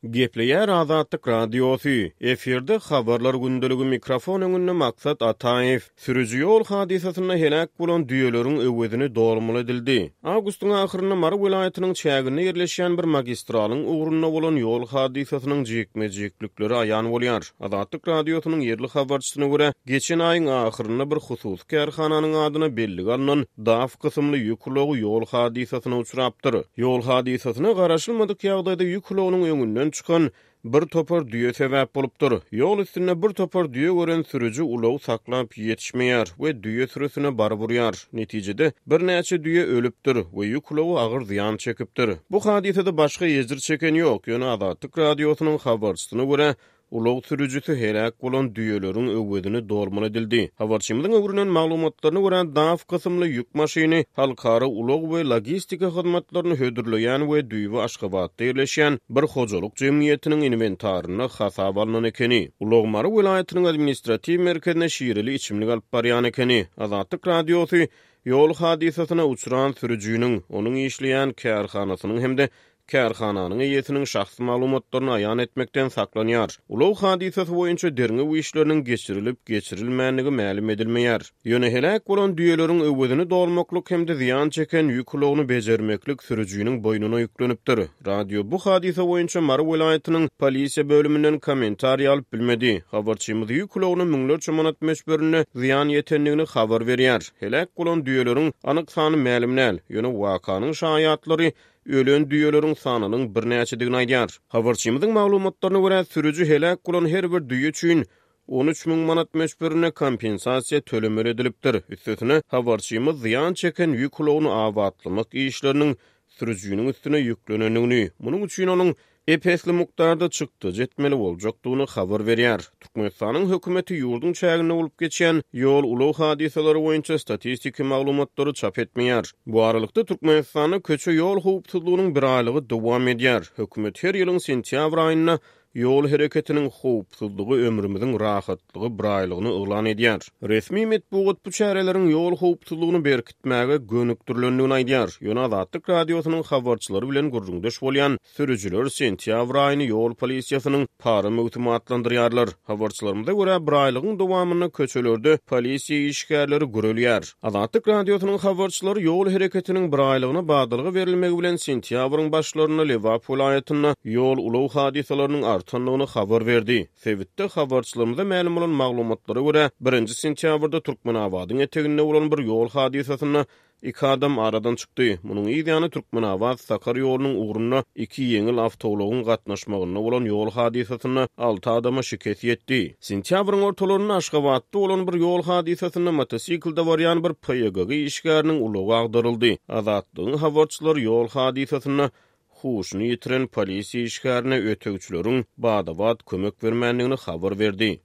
Gepleýär Azatlyk Radiosy, efirde Habarlar gündeligi mikrofon öňünde Maksat Ataýew. Sürüji ýol hadysasynda heläk bolan düýeleriň öwezini dolmaly edildi. Awgustyň ahyrynda Mary welaýatynyň çäginde ýerleşýän bir magistralyň ugrunda bolan ýol hadysasynyň jikme-jiklikleri aýan bolýar. Azatlyk Radiosynyň ýerli habarçysyna görä, geçen aýyň ahyrynda bir hususy kärhananyň adyna bellige alnan DAF kysymly ýük ulagy ýol hadysasyna uçrapdyr. Ýol hadysasyna garaşylmadyk ýagdaýda ýük ulagynyň öňünden çykan bir topar düýe sebäp bolupdyr. Ýol üstünde bir topar düýe gören sürüji ulagy saklap ýetişmeýär we düýe sürüsine baryp urýar. Netijede, birnäçe düýe ölüpdir we ýük ulagy agyr zyýan çekipdir. Bu hadysada başga ejir çeken ýok, ýöne Azatlyk Radiosynyň habarçysyna görä, Ulag sürüjisi heläk bolan düýeleriň öwezini dolmaly edildi. Habarçymyzyň öwrenen maglumatlaryna görä, DAF kysymly ýük maşyny halkara ulag we logistika hyzmatlaryny hödürleýän we düýbi Aşgabatda ýerleşýän bir hojalyk jemgyýetiniň inwentarynda hasaba alnan ekeni. Ulag Mary welaýatynyň administratiw merkezine şireli içimlik alyp barýan ekeni. Azatlyk Radiosy ýol hadysasyna uçran sürüjiniň, onuň işleýän kärhanasynyň hem-de Kärhananyň eýesiniň şahsy maglumatlaryny aýan etmekden saklanýar. Ulag hadysasy boýunça derňew işleriniň geçirilip-geçirilmändigi mälim edilmeýär. Ýöne heläk bolan düýeleriň öwezini dolmaklyk hem-de zyýan çeken ýük ulagyny bejermeklik sürüjiniň boýnuna ýüklenipdir. Radio bu hadysa boýunça Mary welaýatynyň polisiýa bölüminden kommentariý alyp bilmedi. Habarçymyz ýük ulagyna müňlerçe manat möçberinde zyýan ýetendigini habar berýär. Heläk bolan düýeleriň anyk sany mälim däl. Ýöne wakanyň şaýatlary ölen düýeleriň sanynyň birnäçedigini aýdýar. Habarçymyzyň maglumatlaryna görä, sürüji heläk bolan her bir düýe üçin 13 müň manat möçberinde kompensasiýa tölemeli edilipdir. Üstesine, habarçymyz zyýan çeken ýük ulagyny abatlamak işleriniň sürüjiniň üstüne ýüklenendigini, munuň üçin onuň ep-esli mukdarda çykdajy etmeli boljakdygyny habar berýär. Türkmenistanyň hökümeti ýurduň çäginde bolup geçýän ýol-ulag hadysalary boýunça statistiki maglumatlary çap etmeýär. Bu aralykda, Türkmenistanda köçe-ýol howpsuzlygynyň biraýlygy dowam edýär. Hökümet her ýylyň sentýabr aýynda Ýol hereketiniň howpsuzlygy ömrümiziň rahatlygy biraýlygyny yglan edýär. Resmi metbugat bu çäreleriň ýol howpsuzlygyny berkitmäge gönükdirilendigini aýdýar. Ýöne Azatlyk Radiosynyň habarçylary bilen gürrüňdeş bolýan Sürüjiler sentýabr aýyny ýol polisiýasynyň para möwsümi atlandyrýarlar. Habarçylarymyza görä, biraýlygyň dowamynda köçelerde polisiýa işgärleri gürelýär. Azatlyk Radiosynyň habarçylary ýol hereketiniň biraýlygyna badalga berilmegi bilen sentýabryň başlarynda Lebap welaýatynda ýol-ulag hadysalarynyň artandygyny habar berdi. Sebitde habarçylarymyza mälim bolan maglumatlara görä, birinji sentýabrda Türkmenabadyň eteginde bolan bir ýol hadysasynda Iki adam aradan çykdy. Munuň yz ýany Türkmenabat-Sakar ýolunyň ugrunda iki ýeňil awtoulagyň gatnaşmagynda bolan ýol hadysasynda alty adama şikes ýetdi. Sentýabryň ortalarynda Aşgabatda bolan bir ýol hadysasynda motosiklde barýan bir PYGG işgäriniň ulagy agdaryldy. Azatlygyň habarçylary ýol hadysasynda huşuny ýitiren polisiýa işgärine ötegçileriň bada-bat kömek bermändigini habar berdi.